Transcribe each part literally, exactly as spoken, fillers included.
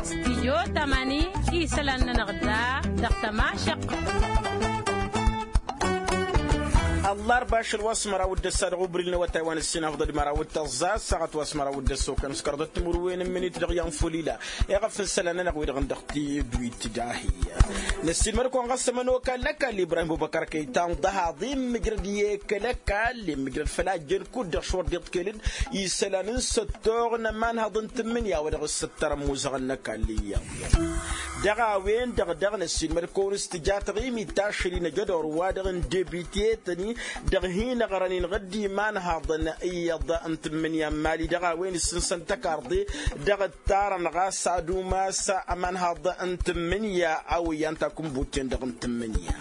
Stijyo tamani isălan-nănăɣ da dăɣ-tămašăq. Ăllarba ašăl wa s-măraw d-ăssa dăɣ-ubri n-awătay wa n-ǝssin afḍăd măraw d-tăẓẓa ăssaɣăt wa s-măraw d-ăssa okăn s-kăraḍăt timǝrwen n-minit dăɣ-i anfulila. Iɣăf n-isălan-nănăɣ wi-dăɣ n-dăɣ tidwit dahi. Năssiinmăd-kăwăn ɣas ămănokal n-ăkall ibrahim bubăkăr kăytan ḍahaḍ immǝjrăd i-kăl-ăkall immǝjrăd făl a ăjjeen kud-dăɣ šwăr d-iḍkăyălăn isălan n-săttoɣ n-ămanhăḍ n-tǝmmǝnǝya wa dăɣ-s ǝttărăn muzăɣăn n-ăkall iyyăḍ. Dăɣ-a-wen-dăɣ dăɣ-năssiinmăd-kăwăn s-tǝja taɣimit tašăl-i n-ajădor wa-dăɣ n-debitetăn-i dăɣ-hin-ăɣrăn-in ɣǝddimanhăḍăn iyyăḍ n-tǝmmǝnǝya n-mali dăɣ-a-wen issǝnsăn tăkarḍe dăɣ-ǝttarăn ɣas ad-umas ămanhăḍ n-tǝmmǝnǝya a-wen i-an takǝnbut-ten-dăɣ n-tǝmmǝnǝya.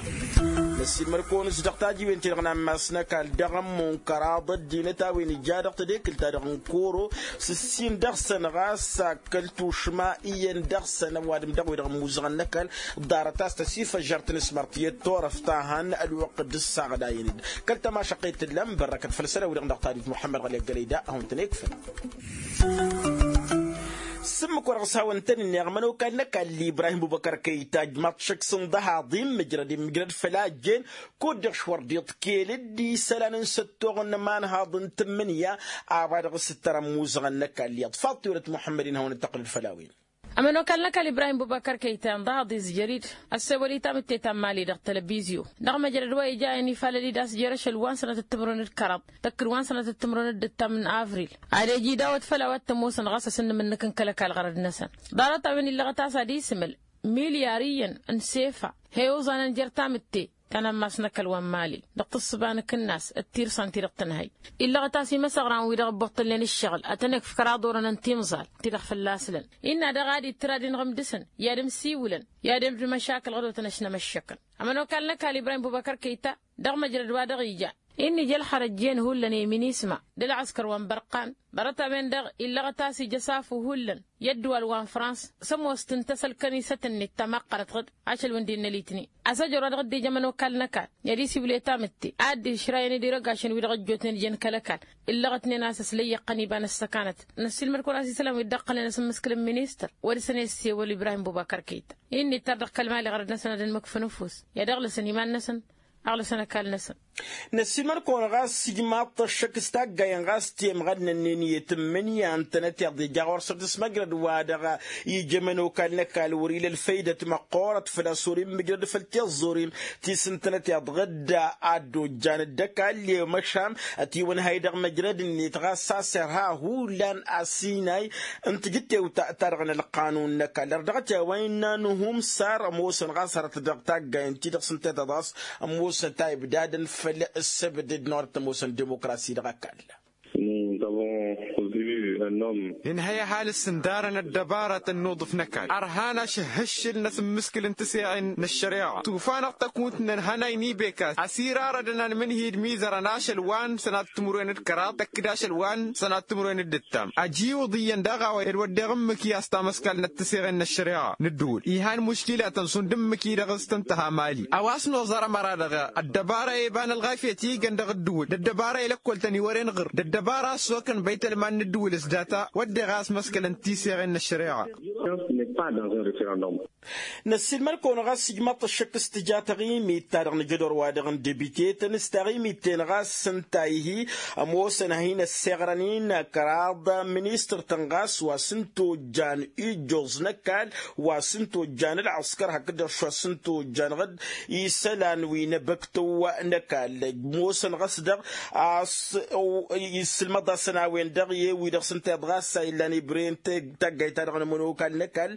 Năssiinmăd-kăwăn-s dăɣ-tajiwen-ti-dăɣ n-ammas n-ăkall dăɣ-ămmun kăraḍ ăddinăt a-wen ija dăɣ-tedekǝlt-ta-dăɣ n-koro s-ǝssin dăɣ-săn ɣas kăl-tušma iyyăn dăɣ-săn ăwadǝm dăɣ-wi-dăɣ ămmuzăɣăn n-ăkall. Ḍarăt a-s tăsifăžžăr tǝnǝsmăr tiyyăt turăft ta hăn ălwăqq dd-ǝssaɣădayăn-dd kăl-tămašăqqet tǝllan bărrăkăt făll-isălan-wi-dăɣ dăɣ-tadit muḥămmăd ɣăli ăggălăy da a hawăn-tăn-ekfăn. S-ǝmmǝk wa dăɣ-s hawăn-tăn-ǝnneɣ ămănokal n-ăkall ibrahim bubăkăr kăyta ǝjmaḍ šăkk s-ǝnḍăhaḍ immǝjrăd immǝjrăd făll-a ăjjeen kud-dăɣ šwăr d-iḍkel dd-isălan n-săttoɣ n-ămanhaḍ n-tǝmmǝnǝya. A-wa dăɣ-s ǝttărăn muzăɣăn n-ăkall iyyăḍ faḍt tiwrăt muḥămmăd-in hawăn-dd-tăqqǝlăd făll-a-wen. Ămănokal n-ăkall ibrahim bubăkăr kăyta ǝnḍăhaḍ izjăr-dd ăssewăl i-tamǝtte ta n-mali dăɣ-tălbizyo dăɣ-măjrăd wa ija ănifalăl-dd a-s jer-ašăl wa n-sănatăt timǝrwen d-kăraḍ tăkkǝd wa n-sănatăt timǝrwen d-ǝttam n-avril. Ad-ej idawăt făll-a-wa t-ămoosăn ɣas asǝnnǝm-nǝk n-kăl-ăkall ɣărăd-năsăn. Ḍarăt-a-wen illăɣăt a-s ad-isǝmǝl milyar iyyăn n-sefa he-oẓanăn jer-tamǝtte ta n-ammas n-ăkall wa n-mali dăɣ-tǝssǝba n-akǝnnas d-tirsan-ti-dăɣ tǝnhăy. Illăɣăt a-s imăsăɣran-wi-dăɣ ǝbbuṭṭălnen ǝššăɣǝl ad-tăn-ekf kăraḍ orănăn timẓal-ti-dăɣ fălla-s lăn innă daɣ ad-ittǝr ad-inɣǝm dăɣ-săn i-ad-ǝmsiwǝlăn i-ad-ămdǝm ašakǝl ɣǝdotăn ăšnămăššăkăn. Ămănokal n-ăkall ibrahim bubăkăr kăyta dăɣ-măjrăd wa dăɣ-ija innă ija ălxărăt jen hullan i-minisma d-ălɣăskăr wa n-bărqan. Ḍarăt-a-wen-dăɣ illăɣăt a-s ija asafu hullan i-ăddǝwal wa n-frans s-ămoos tǝntăs ălkănisăt-net ta maqqărăt ɣǝd ašăl wi n-dd-innă litni. Asăjăr wa dăɣ-dd-ija ămănokal n-ăkall i-ad-isiwǝl i-tamǝtte ad-dd-išrayăn d-irăgašăn wi-dăɣ ăjjootnen jen kăl-ăkall. Illăɣătnen a-s ăslăyyăɣ-tăn iba n-ăssăkanăt. Năssiilmăd-kăwăn a-s isălan wi dd-ăqqălnen asǝmmǝskǝl n-ministăr wa dăɣ-săn i-ăssewăl ibrahim bubăkăr kăyta. Innă ittar dăɣ-kăl-mali ɣărăd-năsăn ad-ănmǝkf ănufus i-ad-ăɣlăsăn iman-năsăn. Ăɣlăsăn ăkall-năsăn. Năssiilmăd-kăwăn ɣas ijmaḍ-t ăššăk s-taggayen ɣas temɣădnănnen i-tǝmmǝnǝya ǝntănăt iḍ ija ɣur-săr tǝsmăjrăd wa-dăɣ ija ămănokal n-ăkall wăr-ila ălfăydăt măqqoorăt făl-a-s wăr-immǝjrăd făll-tiẓẓurin ti s-ǝntănăt iḍɣǝdda ad-dd-ojjan dd-ăkall i-măšan ătiwănhay dăɣ-măjrăd-net ɣas a-s irha hullan asinay n-tijǝttewt ta-dăɣ n-ălqanun n-ăkall ărdăɣăt i-a-wa innă n-humsar ămoosăn ɣas hărăt dăɣ-taggayen-ti-dăɣ s-ǝnta i-tăḍas ămoosăn ta ibdadăn făll-ǝssǝbdǝd n-orăt ămoosăn dimokrasi dăɣ-ăkall. Nǝnhăy ăhalǝs ǝndarăn ăddăbarăt ănnuḍǝf n-ăkall ărhan ašǝhhǝššǝl n-asǝmmǝskǝl n-tǝseɣen n-ăššăreɣa tufa-năɣ tăkunt n-ănhănay n-ibekas ăsirarădăn anmǝnhǝy d-imizărăn ašăl wa n-sănat timǝrwen d-kăraḍ tăkk-dd ašăl wa n-sănat timǝrwen d-ǝttam. Ăjiwǝḍ iyyăn daɣ a-wa ed wădden ǝmmǝk-i a-s tamăskalnăt tǝseɣen n-ăššăreɣa n-ǝddǝwǝl ihan muškilatăn šund ǝmmǝk-i-dăɣ s-tǝnta ha mali a-wa s-noẓăr ămăra-dăɣ ăddăbara i-eba n-ălɣafyăt i-igăn dăɣ-ǝddǝwǝl d-ăddăbara i-lăkkol-tăn iwăren ɣǝr d-ăddăbara a ăssokăn băytălman n-ǝddǝwǝl s-data wădden a ăsmăskălăn tiseɣen n-ăššăreɣa. Năssiilmăd-kăwăn ɣas ijmaḍ-t ăššăk s-tǝja taɣimit-ta-dăɣ n-ajădor-wa-dăɣ n-debite-tăn s-taɣimit-ten ɣas s-ǝnta ihi ămoosăn ad-hin-ăssiɣrăn-in kăraḍ ministăr-tăn ɣas wa s-ǝntojjan ijjoẓ n-ăkall wa s-ǝntojjan ălɣăskăr hakd-dăɣ šwa s-ǝntojjan ɣǝd isălan wi n-ebăktăw n-ăkall ămoosăn ɣas dăɣ-a-s issǝlmăḍ-asăn a-wen-dăɣ i-wi-dăɣ s-ǝnta iḍ ɣas a illan ibrăyăn taggayt-ta-dăɣ n-ămănokal n-ăkall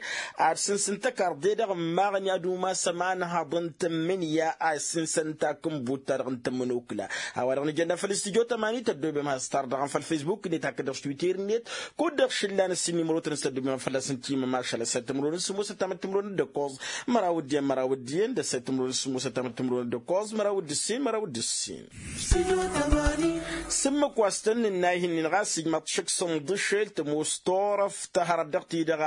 ad-sǝnsǝn tăkarḍe dăɣ-ǝmmaɣăn i-ad-umas ămanhăḍ n-tǝmmǝnǝya a issǝnsăn takǝnbut-ta-dăɣ n-tămănokla. A-wa-dăɣ nǝjănna făll-studyo tămani tăddoobem has-tar dăɣ-ănfăl facebook-net hakd-dăɣ s-twitter-net kud-dăɣ šǝllan ǝssin imrotăn s-tăddoobem fălla-s n-timǝmašal ăssayt timǝrwen s-sǝmmosăt tamăt timǝrwen d-ăkkoẓ măraw d-iyyăn măraw d-iyyăn d-ăssayt timǝrwen s-sǝmmosăt tamăt timǝrwen d-ăkkoẓ măraw d-ǝssin măraw d-ǝssin. S-ǝmmǝk wa s-tăn-nǝnna ihǝnnin ɣas ijmaḍ šăkk s-ǝnḍǝšel tămoos turăft ta hărăt dăɣ-ti-dăɣ.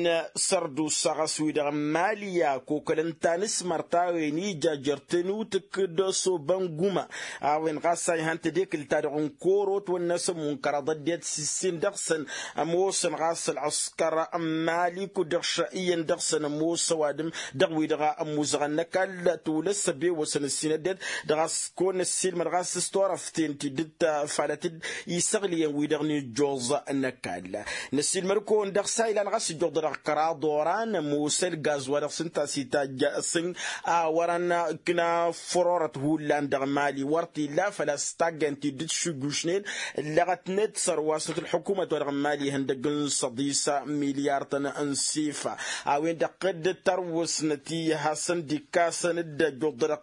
N-sărdusa ɣas-wi-dăɣ n-mali i-akokălăn tanǝsmărt a-wen ija jer-tănutǝk d-osobăn guma a-wen ɣas a ihan tedekǝlt-ta-dăɣ n-koro ătwănna s-ămmun kăraḍ ăddinăt s-issin dăɣ-săn. Ămoosăn ɣas ălɣǝskăr n-mali kud-dăɣ ša iyyăn dăɣ-săn ămoos ăwadǝm dăɣ-wi-dăɣ ămmuzăɣăn n-ăkall tolăs ăbewăsăn ǝssin ăddinăt dăɣ-a-s kăwăn-ăssiilmăd ɣas s-turăften ti dd-tafalăt-dd isăɣliyăn-wi-dăɣ n-ijjoẓ n-ăkall. Năssiilmăd-kăwăn dăɣ-s a ilan ɣas ǝjjuḍăd dăɣ-kăraḍ oran ămoos ălgaz wa dăɣ-s ǝnta a-s itajj s-ǝnn a wărăn ǝkna fărorăt hullan dăɣ-mali wăr t-illa făl-a-s taggen ti dd-tǝššǝjjušnen ǝllăɣătnet sărwasnăt ălḥukumăt wa dăɣ-mali ihăndăg n-săḍisa milyar-tăn n-sifa a-wen-dăɣ dd-tărwǝsnăt i-hasăn-dd-ikkasăn dd-ăjjuḍădăɣ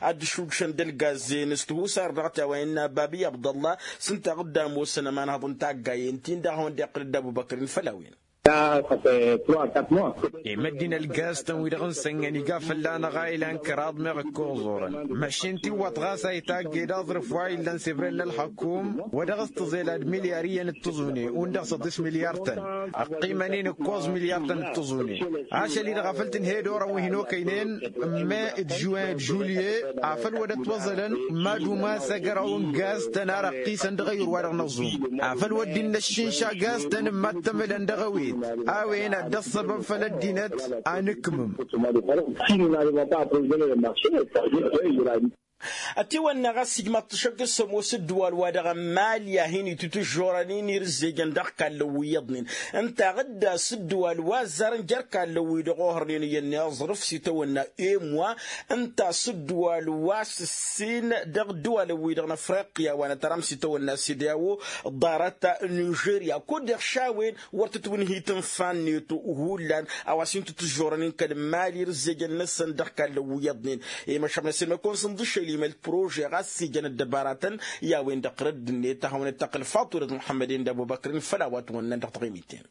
ad-dd-išujšăn d-ălgazzen s-tihusar dăɣ-t i-a-wa innă babi abdăllah s-ǝnta a dd-ămoosăn ămanhăḍ n-taggayen-tin-dăɣ a hawăn-dd-iqqǝl dd-abubăkr-in făll-a-wen. Imăddin ălgaz-tăn-wi-dăɣ n-sănnăn iga fălla-năɣ a ilan kăraḍ meɣ ǝkkoẓ orăn. Măšin tiwwăḍt ɣas a itaggăy d-aẓrǝf wa illăn s-ebrel n-ălxăkum wa dăɣ-s tǝẓelad milyar iyyăn d-tǝẓune und-dăɣ săḍis milyar-tăn. Ăqqimăn-in ǝkkoẓ milyar-tăn d-tǝẓune. Ašăl-i-dăɣ a făl tǝnhăy d-orăn wi hin-okăynen n-me d-žuwen d-žulye afăl wăr dd-ătwăẓălăn mad-umas agăraw n-gaz-tăn ar ăqqisăn dăɣ-eyur wa dăɣ-năẓum afăl wăr dd-innăššǝnša gaz-tăn n-mad-tămǝlăn dăɣ-ewet. A-wen ad-dd-ăṣṣăbăb făll-ăddinăt a nǝkmǝm. Ătiwănna ɣas ijmaḍ-t ašăk s-ămoos ǝddǝwal-wa-dăɣ n-mali a hin-itutǝžžorăn-in irǝzzejăn dăɣ-kallăn wi iyyăḍnen ǝnta a ɣǝdda s-ǝddǝwal wa ăzzarăn jer-kallăn-wi-dăɣ ohărnen iyyăn n-aẓrǝf s-itawănna emwa. Ǝnta a-s ǝddǝwal wa s-ǝssin dăɣ-ǝddǝwalăn-wi-dăɣ n-afriqya wa n-ătăram s-itawănna s-idyawo ḍarăt nižerya kud-dăɣ š-a-wen wăr tǝtwǝnhǝy tǝnfa-net hullan a-wa s-hin-tǝtǝžžorăn-in kăl-mali irǝzzejăn-năsăn dăɣ-kallăn wi iyyăḍnen. I-măšăb n-asǝlmăd kăwăn-sǝnḍǝšel imăl prože ɣas s-ijăn ăddăbaratăn i-a-wen-dăɣ tărădd-net a hawăn-dd-tăqqǝl faḍulăt muḥămmăd-en d-abubăkr-in făll-a-wa t-wănnan dăɣ-taɣimit-ten.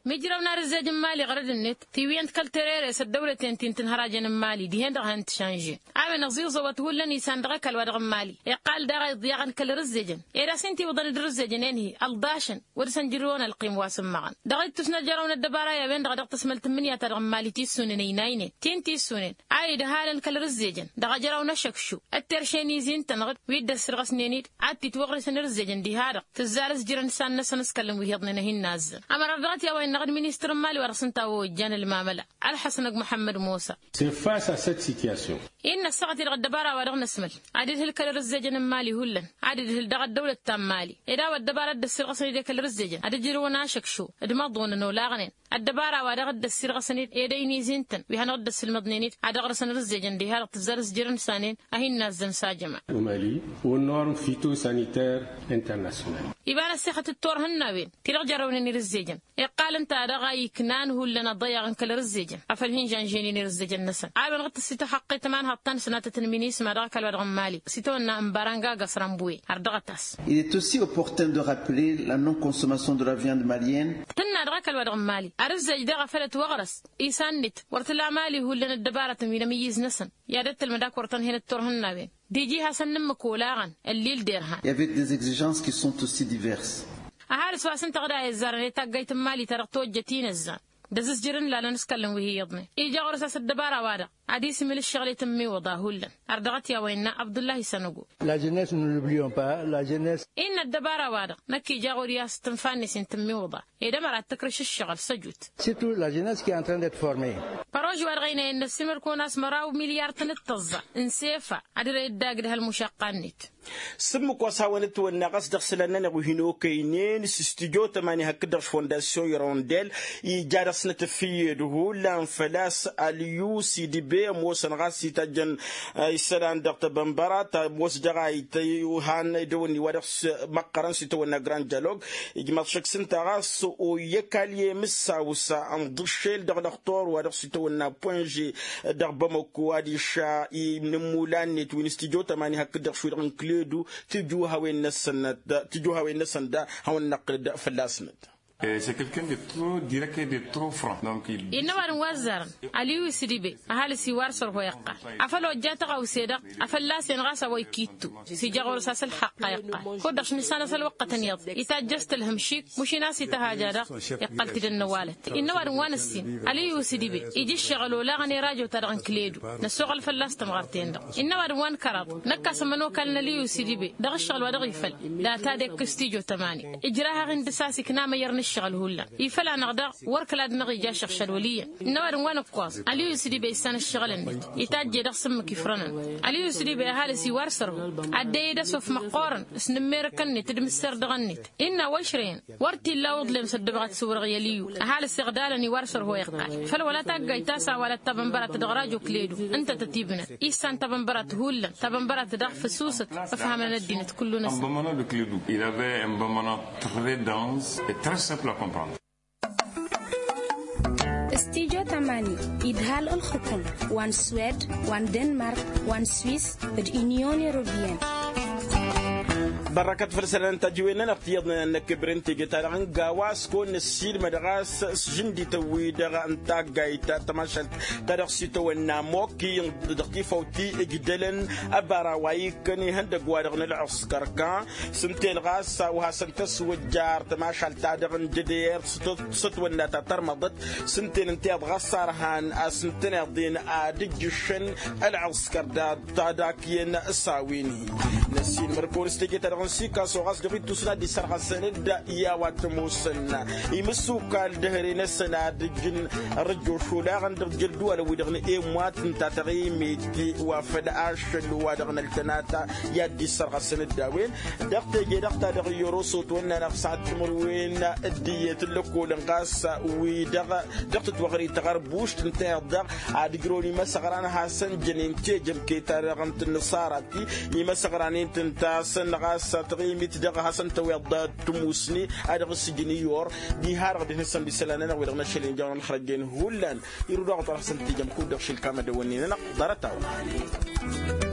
Mijrăw n-arǝzzej n-mali ɣărăd-net tiwǝyăn-t kăl-terere s-ăddăwlăten ti n-tǝnhărajăn n-mali dihen-dăɣ a hăn-t-šanžen. A-wen ăẓiẓăwăt hullan isan dăɣ-ăkall wa dăɣ-n mali iqqal daɣ a iḍyaɣăn kăl-arǝzzejăn ed a-s hin-t-iwǝḍăn d-arǝzzejăn enhi ălḍašăn wăr dăr-săn jǝrrǝwăn ălqim wa s-ǝmmăɣăn. Dăɣ-ittus n-ăjjărăw n-ăddăbara i-a-wen-dăɣ dăɣ-tăsmălt n-imǝnǝya ta dăɣ-n mali tissune n-ăynaynen ti n-tissune. A idhalăn kăl-arǝzzejăn dăɣ-ăjrăw n-ašăkšu ătteršen izi n-tănɣǝd wi dd-ăssirɣăsnen-dd ad-t-itwăɣrǝsăn arǝzzejăn diha-dăɣ tǝzzar s-jărăn isan-năsăn s-kălăn wi hi-iḍnen a hin-nazzăn. Ămărat dăɣ-t i-a-wa innăɣ d-ministăr n-mali wa dăɣ-s ǝnta a ojjan ălmamăla ălḥăsnăg muḥămmăd musa. Sefas a-s ăssitiyasyon. Innă ăssaɣăt-i-dăɣ ăddăbara wa dăɣ-năsmăl ad-idhǝl kăl-arǝzzejăn n-mali hullan ad-idhǝl dăɣ-ăddăwlăt ta n-mali ed a-wa ăddăbara dd-ăssirɣăsăn-dd i-kăl-arǝzzejăn ad-ǝjrǝwăn ašăkšu d-imăḍunăn olaɣnen. Ăddăbara wa dăɣ-dd-ăssirɣăsăn-dd ed ăynizin-tăn wi hanăɣ-dd-ăssǝlmăḍnen-dd ad-ăɣrǝsăn arǝzzejăn diha-dăɣ tǝzzar s-jărăn s-anen a hin-nazzăn s-ajăma. Umali. Unnorm fitosaniter internasyonal. Iba n-ăssixăt d-turhǝnnawen ti-dăɣ jărrăwnen irǝzzejăn iqqal ǝnta-dăɣ a iknan hullan ăḍăyaɣ n-kăl-arǝzzejăn afăl hin-žănžăynen irǝzzejăn-năsăn a-wen dăɣ-tǝssităxăqqet ămanhăḍ ta n-sănatăt n-minisma dăɣ-ăkall wa dăɣ-n mali s-itawănna n-baranga gasrănbuwe. Ardăɣăt-as. Il est aussi opportun de rappeler la non consommation de la viande malienne. Tǝnna dăɣ-ăkall wa dăɣ-n mali arǝzzej daɣ a făl ătwăɣrăs isan-net wăr tǝla mali hullan ăddăbarătăn wi n-amǝyyǝz-năsăn i-ad-ăttălmăd a kăwăr-tăn hen d-turhǝnnawen d-iji hasăn-nǝmmǝk olaɣăn ăllil d-irhan. I-avait des exigences qui sont aussi diverses. Ăhalǝs wa s-ǝnta ɣǝd a izzarăn i-taggayt n-mali ta dăɣ-tojjăt inăzzan d-azǝzjăr n-lalăn s-kăllăn wi hi-iyyăḍnen ija ɣur-s a-s ăddăbara-wa-dăɣ ad-isǝmǝl ǝššăɣǝl i-tǝmmiwǝḍa hullan. Ărdăɣăt i-a-wa innă abdullahi sănăgo. La jeunesse nous n'oublions pas la jeunesse. Innă ăddăbara-wa-dăɣ năkk ija ɣur-i a-s tǝnfa-net i-tǝmmiwǝḍa ed ămăra ad-tǝkrǝš ǝššăɣǝl s-ăjut. Surtout la jeunesse qui est en train d'être formée. Părož-wa-dăɣ ăynayăn n-ăssiimăr-kăwăn a-s măraw milyar-tăn d-tăẓẓa n-sefa ad-ărăy dd-agdăh ălmušaqqa-net. S-ǝmmǝk wa s-hawăn-ătwănna ɣas dăɣ-isălan-nănăɣ wi hin-okăynen s-studyo tămani hakd-dăɣ s-fondasyon irondel ija dăɣ-snăt ăffiyed hullan făl-a-s ălyus idbe ămoosăn ɣas itajjăn isălan dăɣ-tebănbăra ta ămoos dăɣ-a ităy. Han idăwănni wa dăɣ-s măqqărăn s-itawănna grand dialog. Ijmaḍ šăkk s-ǝnta ɣas oyyăkal i-emǝssaw s-ănḍǝššel dăɣ-lăxtor wa dăɣ-s itawănna poinže dăɣ-bamăko adiš inǝmmulan-net wi n-studyo tămani hakd-dăɣ šwi-dăɣ n-kledu. Tijuhawen-năsăn da hawăn-năqqǝl-dd fălla-snăt. Innă ăwadǝm wa ăzzarăn aliyu isǝdibe ăhalǝs iwar sărho iqqal afăl ojja tăɣawse-dăɣ. Afăl lasen ɣas a-wa ikittu s-ija ɣur-s a-s ǝlxaqqa iqqal kud-dăɣ š-nǝssanăs ălwăqqătăn iyyăḍ itajjăs tǝlhǝm šik mušin a-s ităhajja-dăɣ. Iqqăl-t-dd ănnăwalăt innă ăwadǝm wa nǝssin aliyu isǝdibe ija ǝššăɣǝl olaɣăn i-rajo-ta-dăɣ n-kǝledu. Năssoɣăl fălla-s tămɣărt-en-dăɣ innă ăwadǝm wa nǝkkăraḍ năkk a-s ămănokal n-aliyu isǝdibe dăɣ-ǝššăɣǝl wa dăɣ-ifăl data d-ekk s-tijo tămani. Ǝjrah-aɣ-in dăr-s a-s ikna amăyyăr n-ǝššăɣǝl hullan ifăl-anăɣ daɣ wăr kăla d-năɣ ija ašăɣšad wăl' iyyăn. Ǝnnăwadǝm wa nǝkkoẓ aliyu isǝdibe issan ǝššăɣǝl-net itajj'-e dăɣ-sǝmmǝk ifrănăn. Aliyu isǝdibe ăhalǝs iwar sărhu ad-dd-e-dd asof măqqoorăn s-inǝmmerǝkăn-net d-imǝsserdăɣăn-net. Innă a-wa ǝšrăyăn wăr t-illa uḍlem s-ăddăbăɣăt s-iwrăɣ i-aliyu. Ăhalǝs iɣdalăn iwar sărhu iqqal făl wăla taggayt ta s-a-wa dăɣ-tabănbărat dăɣ-rajo kǝledu ǝnta tăt-ibnăt issan tabănbărat hullan tabănbărat daɣ făsusăt. Ăfhamăn ăddinăt kullu-năsăn. Ănbămăna dăɣ-kǝledu il-a-ve ănbămăna très dense et très simple à comprendre. S-tijo tămani idhal ǝlxǝkǝm wa n-swed wa n-denmark wa n-swis d-inyon europeyăn. Bărrăkăt făll-isălan n-tajǝwen-nănăɣ tiyyăḍnen ad-năkkăbren teje-ta-dăɣ n-gawa s-kăwăn-năssiilmăd ɣas s-žǝndităn-wi-dăɣ n-taggayt ta tămašalt ta dăɣ-s itawănna mokki dăɣ-tifawt ti ǝjdălăn ăbara wa ikkăn ihăndăgg-wa-dăɣ n-ălɣǝskăr kan s-ǝnta-en ɣas a-wa hasăn-tăswăjjar tămašalt-ta-dăɣ n-dd-e-dd s-ătwănna ta tărmăḍăt s-ǝnta-en ǝnta iyyăḍ ɣas a ărhan a-s ǝntăneḍ-en ad-ǝjjǝššăn ălɣǝskăr dat-ta dak iyyăn s-a-wen-hi. Năssiilmăr-kăwăn s-teje-ta-dăɣ n-sikaso ɣas dăɣ-ittusna d-isărɣăsăn-dd i-a-wa t-ămoosăn imǝssukal dăhre-năsăn ad-ǝjǝn ărrăjjoš olaɣăn dăɣ-ijăl-dd-ăwadǝm-wi-dăɣ n-e-mwa t-ǝnta taɣimit wa făl ašăl wa dăɣ-năltănata i-ad-dd-issărɣăsăn-dd a-wen. Dăɣ-teje-dăɣ-ta-dăɣ i-oroso ătwănna-năɣ s-ad-timǝrwen d-iyyăt n-lăkkolăn ɣas wi-dăɣ dăɣ-tǝtwăɣri taɣărbušt ǝnta iyyăḍ daɣ ad-ǝjrăwăn imăsăɣran ad-hasăn-jănen tejămke-ta-dăɣ n-tǝnnǝṣara ti imăsăɣran-in tǝntasăn ɣas taɣimit dăɣ-hasăn-tăweḍ d-tǝmusni a dăɣ-s ǝjǝn iyyăr diha-dăɣ d-hin-săn d-isălan-nănăɣ wi-dăɣ n-ašăl injăwăn ălxărăjjen hullan. Irǝw daɣ oṭṭăr ad-hasăn-tijăm kud-dăɣ šilkamădăwăn-ni-nănăɣ ḍarăt-a-wa.